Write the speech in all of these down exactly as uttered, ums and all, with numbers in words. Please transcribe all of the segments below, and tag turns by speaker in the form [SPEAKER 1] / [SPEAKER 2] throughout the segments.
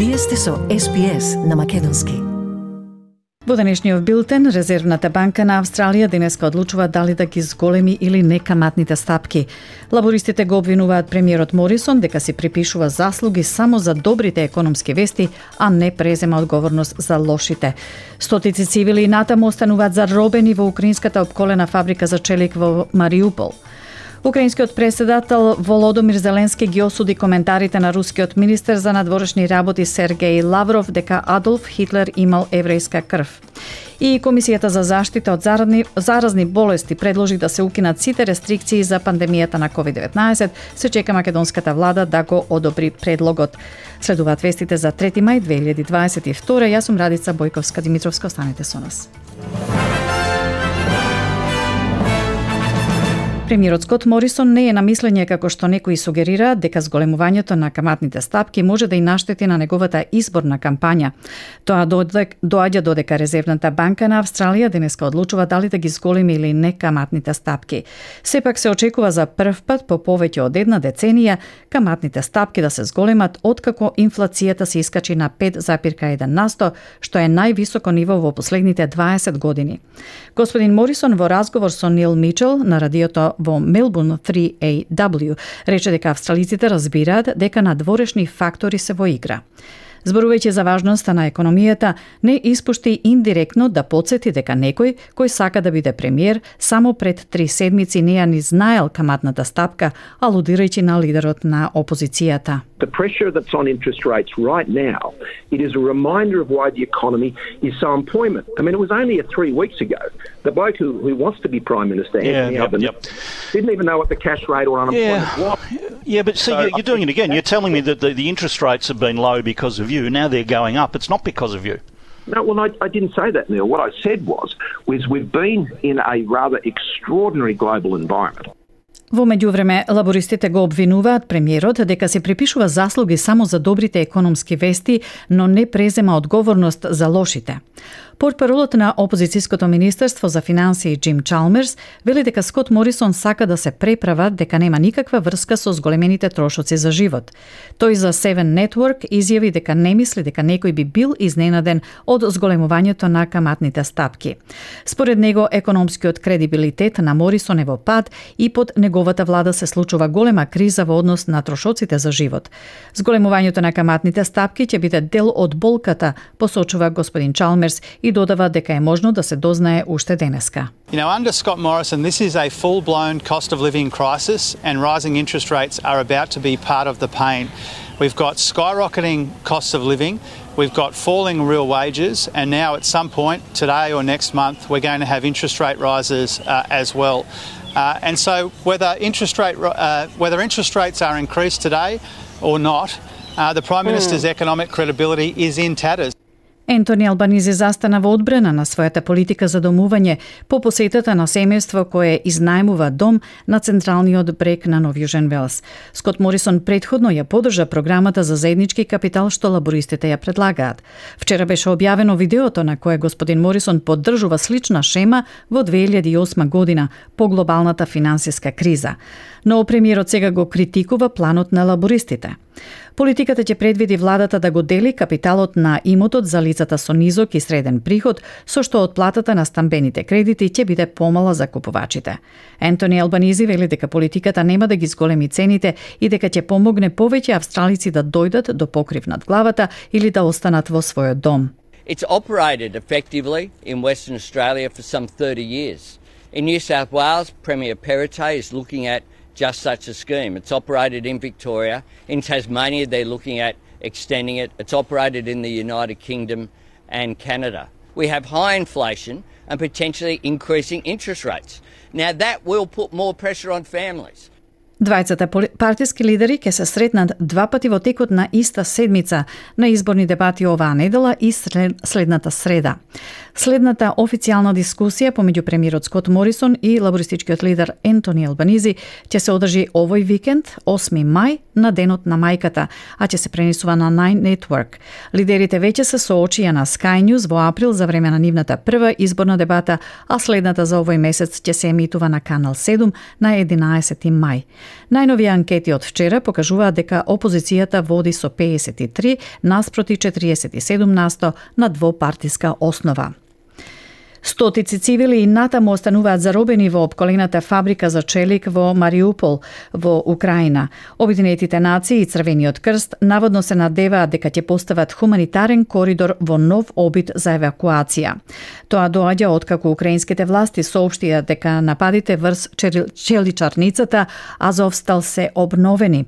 [SPEAKER 1] Вие сте со Ес Би Ес на македонски.
[SPEAKER 2] Во денешниот билтен, Резервната банка на Австралија денеска одлучува дали да ги зголеми или не каматните стапки. Лабористите го обвинуваат премиерот Морисон дека си припишува заслуги само за добрите економски вести, а не презема одговорност за лошите. Стотици цивили и натаму остануваат заробени во украинската опколена фабрика за челик во Мариупол. Украинскиот председател Володомир Зеленски ги осуди коментарите на рускиот министер за надворешни работи Сергеј Лавров дека Адолф Хитлер имал еврејска крв. И Комисијата за заштита од заразни, заразни болести предложи да се укинат сите рестрикции за пандемијата на ковид деветнаесет. Се чека македонската влада да го одобри предлогот. Следуваат вестите за трети мај две илјади дваесет и втора. Јас сум Радица Бојковска-Димитровска. Останете со нас. Премиерот Скот Морисон не е на мислење како што некои сугерираат дека зголемувањето на каматните стапки може да и наштети на неговата изборна кампања. Тоа доаѓа додека Резервната банка на Австралија денеска одлучува дали да ги зголеми или не каматните стапки. Сепак се очекува за прв пат по повеќе од една деценија каматните стапки да се зголемат откако инфлацијата се искачи на пет зарез еден на сто, што е највисоко ниво во последните дваесет години. Господин Морисон во разговор со Нил Мичел на радиото во Мелбурн три А W рече дека австралиците разбираат дека надворешни фактори се во игра. Зборувајќи за важноста на економијата, не испушти индиректно да подсети дека некој кој сака да биде премиер само пред три седмици не ја ни знаел каматната стапка, алудирајќи на лидерот на опозицијата.
[SPEAKER 3] The pressure that's on interest rates right now, it is a reminder of why the economy is so employment. I mean, it was only three weeks ago. The bloke who, who wants to be Prime Minister,
[SPEAKER 4] yeah,
[SPEAKER 3] Anthony
[SPEAKER 4] yep,
[SPEAKER 3] Albanese,
[SPEAKER 4] yep.
[SPEAKER 3] didn't even know what the cash rate or unemployment
[SPEAKER 4] yeah.
[SPEAKER 3] was.
[SPEAKER 4] Yeah, but see, so you're doing it again. You're telling me that the, the interest rates have been low because of you. Now they're going up. It's not because of you.
[SPEAKER 3] No, well, I, I didn't say that, Neil. What I said was, was we've been in a rather extraordinary global environment.
[SPEAKER 2] Во меѓувреме, лабористите го обвинуваат премиерот дека се припишува заслуги само за добрите економски вести, но не презема одговорност за лошите. Портпаролот на опозицијското министерство за финансии Джим Чалмерс вели дека Скот Морисон сака да се преправа дека нема никаква врска со зголемените трошоци за живот. Тој за Seven Network изјави дека не мисли дека некој би бил изненаден од зголемувањето на каматните стапки. Според него, економскиот кредибилитет на Морисон е во пад и под неговата влада се случува голема криза во однос на трошоците за живот. Зголемувањето на каматните стапки ќе биде дел од болката, посочува господин Чалмерс и додава дека е можно да се дознае уште денеска.
[SPEAKER 5] You know, under Scott Morrison, this is a full-blown cost of living crisis and rising interest rates are about to be part of the pain. We've got skyrocketing costs of living, we've got falling real wages, and now at some point, today or next month, we're going to have interest rate rises uh, as well. Uh, and so whether interest rate uh, whether interest rates are increased today or not, uh, the Prime Minister's mm. economic credibility is in tatters.
[SPEAKER 2] Ентони Албанизи застана во одбрана на својата политика за домување по посетата на семејство кое изнајмува дом на централниот брег на Нов Јужен Велс. Скот Морисон претходно ја поддржа програмата за заеднички капитал што лабористите ја предлагаат. Вчера беше објавено видеото на кое господин Морисон поддржува слична шема во две илјади и осма година по глобалната финансиска криза. Но премиерот сега го критикува планот на лабористите. Политиката ќе предвиди владата да го дели капиталот на имотот за лицата со низок и среден приход, со што отплатата на стамбените кредити ќе биде помала за купувачите. Ентони Албанизи вели дека политиката нема да ги зголеми цените и дека ќе помогне повеќе австралици да дојдат до покрив над главата или да останат во својот дом.
[SPEAKER 6] It's operated effectively in Western Australia for some thirty years. In New South Wales, Premier Perrottet is looking at just such a scheme. It's operated in Victoria. In Tasmania, they're looking at extending it. It's operated in the United Kingdom and Canada. We have high inflation and potentially increasing interest rates. Now, that will put more pressure on families.
[SPEAKER 2] Двајцата партиски лидери ќе се сретнат два пати во текот на иста седмица на изборни дебати оваа недела и следната среда. Следната официјална дискусија помеѓу премиерот Скот Морисон и лабористичкиот лидер Ентони Албанизи ќе се одржи овој викенд, осми мај, на денот на мајката, а ќе се пренесува на Nine Network. Лидерите веќе се соочија на Sky News во април за време на нивната прва изборна дебата, а следната за овој месец ќе се емитува на Канал седум на единаесети мај. Најнови анкети од вчера покажуваат дека опозицијата води со педесет и три наспроти четириесет и седум насто на двопартиска основа. Стотици цивили и натаму остануваат заробени во опколената фабрика за челик во Мариупол во Украина. Обединетите нации и Црвениот крст наводно се надеваат дека ќе постават хуманитарен коридор во нов обид за евакуација. Тоа доаѓа откако украинските власти соопштија дека нападите врз челичарницата Азовстал се обновени.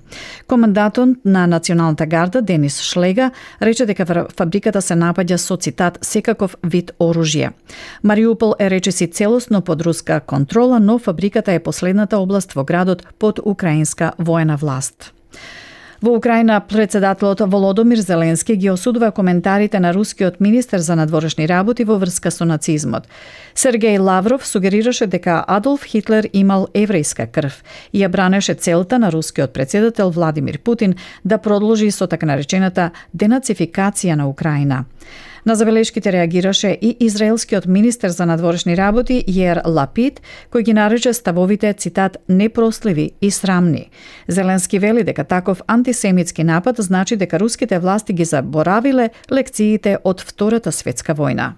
[SPEAKER 2] Командатот на Националната гарда Денис Шлега рече дека фабриката се напаѓа со цитат секаков вид оружје. Мариупол е речиси целосно под руска контрола, но фабриката е последната област во градот под украинска воена власт. Во Украина председателот Володомир Зеленски ги осудува коментарите на рускиот министер за надворешни работи во врска со нацизмот. Сергеј Лавров сугерираше дека Адолф Хитлер имал еврејска крв и ја бранеше целта на рускиот председател Владимир Путин да продолжи со така наречената денацификација на Украина. На забелешките реагираше и израелскиот министер за надворешни работи Јер Лапид, кој ги нарече ставовите, цитат, непростливи и срамни. Зеленски вели дека таков антисемитски напад значи дека руските власти ги заборавиле лекциите од Втората светска војна.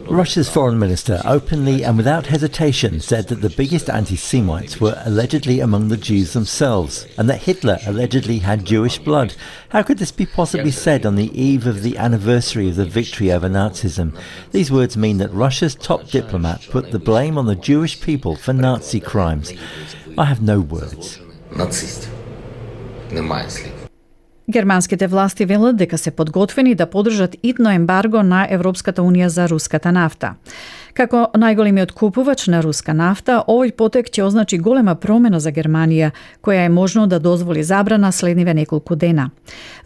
[SPEAKER 7] Russia's foreign minister openly and without hesitation said that the biggest anti-Semites were allegedly among the Jews themselves and that Hitler allegedly had Jewish blood. How could this be possibly said on the eve of the anniversary of the victory over Nazism? These words mean that Russia's top diplomat put the blame on the Jewish people for Nazi crimes. I have no words.
[SPEAKER 2] Германските власти велат дека се подготвени да подржат итно ембарго на Европската унија за руската нафта. Како најголемиот купувач на руска нафта, овој потек ќе означи голема промена за Германија, која е можно да дозволи забрана следниве неколку дена.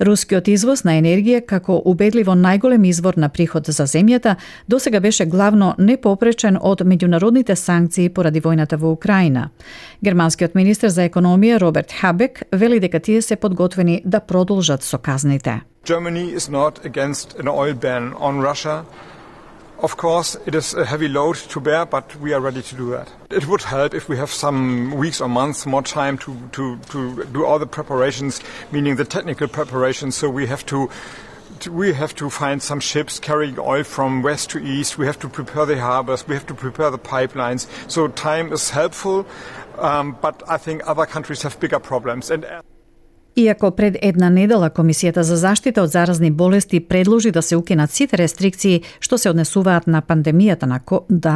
[SPEAKER 2] Рускиот извоз на енергија, како убедливо најголем извор на приход за земјата, досега беше главно непопречен од меѓународните санкции поради војната во Украина. Германскиот министер за економија Роберт Хабек вели дека тие се подготвени да продолжат со казните.
[SPEAKER 8] Germany is not against an oil ban on Russia. Of course, it is a heavy load to bear, but we are ready to do that. It would help if we have some weeks or months more time to, to, to do all the preparations, meaning the technical preparations. So we have to, to we have to find some ships carrying oil from west to east. We have to prepare the harbors. We have to prepare the pipelines. So time is helpful, um, but I think other countries have bigger problems. And
[SPEAKER 2] Иако пред една недела Комисијата за заштита од заразни болести предложи да се укинат сите рестрикции што се однесуваат на пандемијата на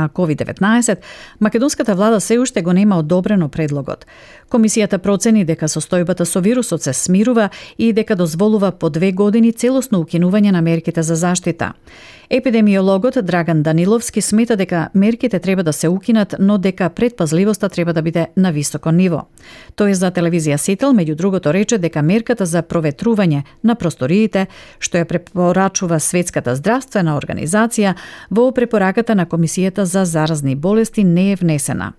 [SPEAKER 2] ковид деветнаесет, македонската влада се уште го нема одобрено предлогот. Комисијата процени дека состојбата со вирусот се смирува и дека дозволува по две години целосно укинување на мерките за заштита. Епидемиологот Драган Даниловски смета дека мерките треба да се укинат, но дека предпазливоста треба да биде на високо ниво. Тој за телевизија Сител, меѓу другото, рече дека мерката за проветрување на просториите, што ја препорачува Светската здравствена организација, во препораката на Комисијата за заразни болести не е внесена.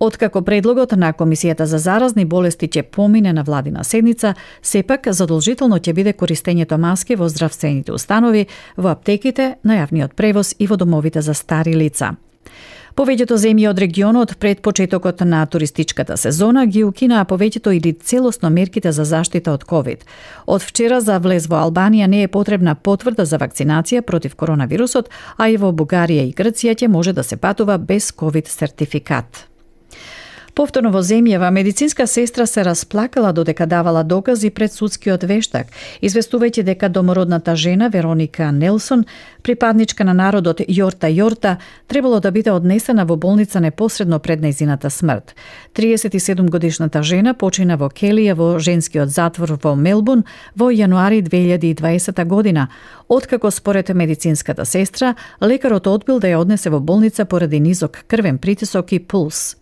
[SPEAKER 2] Откако предлогот на Комисијата за заразни болести ќе помине на владина седница, сепак задолжително ќе биде користењето маски во здравствените установи, во аптеките, на јавниот превоз и во домовите за стари лица. Повеќето земји од регионот пред почетокот на туристичката сезона ги укинаа повеќето или целосно мерките за заштита од ковид. Од вчера за влез во Албанија не е потребна потврда за вакцинација против коронавирусот, а и во Бугарија и Грција ќе може да се патува без ковид сертификат. Повторно во земјава, медицинска сестра се расплакала додека давала докази пред судскиот вештак, известувајќи дека домородната жена Вероника Нелсон, припадничка на народот Јорта Јорта, требало да биде однесена во болница непосредно пред нејзината смрт. триесет и седум годишната жена почина во келија во женскиот затвор во Мелбурн во јануари две илјади и дваесета година, откако според медицинската сестра, лекарот одбил да ја однесе во болница поради низок крвен притисок и пулс.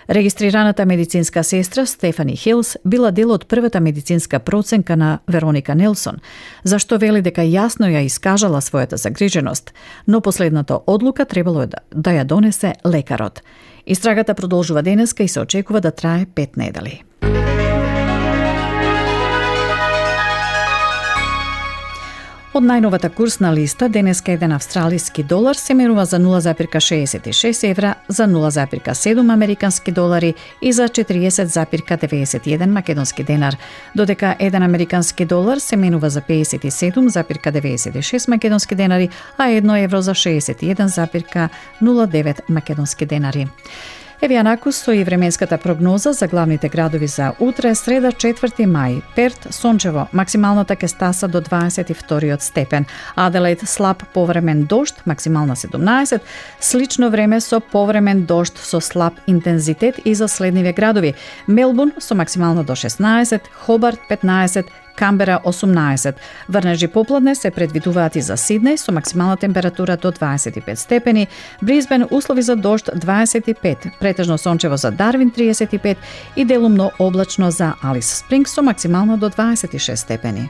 [SPEAKER 2] Регистрираната медицинска сестра Стефани Хилс била дел од првата медицинска проценка на Вероника Нелсон, зашто вели дека јасно ја искажала својата загриженост, но последната одлука требало да, да ја донесе лекарот. Истрагата продолжува денеска и се очекува да трае пет недели. Од најновата курсна листа, денеска еден австралиски долар се менува за нула запирка шеесет и шест евра, за нула запирка седум американски долари и за четириесет запирка деветдесет и еден македонски денар, додека еден американски долар се менува за пеесет и седум запирка деветдесет и шест македонски денари, а едно евро за шеесет и еден запирка нула девет македонски денари. Еве јанаку стои временската прогноза за главните градови за утре, среда четврти мај. Перт сончево, максималната ќе стаса до дваесет и вториот степен. Аделаид слаб повремен дожд, максимална седумнаесет. Слично време со повремен дожд со слаб интензитет и за следниве градови. Мелбурн со максимална до шеснаесет, Хобарт петнаесет, Камбера осумнаесет. Врнежи попладне се предвидуваат и за Сиднеј со максимална температура до дваесет и пет степени, Брисбен услови за дожд дваесет и пет, претежно сончево за Дарвин триесет и пет и делумно облачно за Алис Спрингс со максимално до дваесет и шест степени.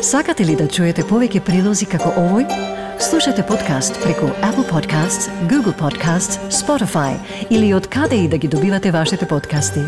[SPEAKER 1] Сакате ли да чуете повеќе прилози како овој? Слушате подкаст преку Apple Podcasts, Google Podcasts, Spotify или од каде и да ги добивате вашите подкасти.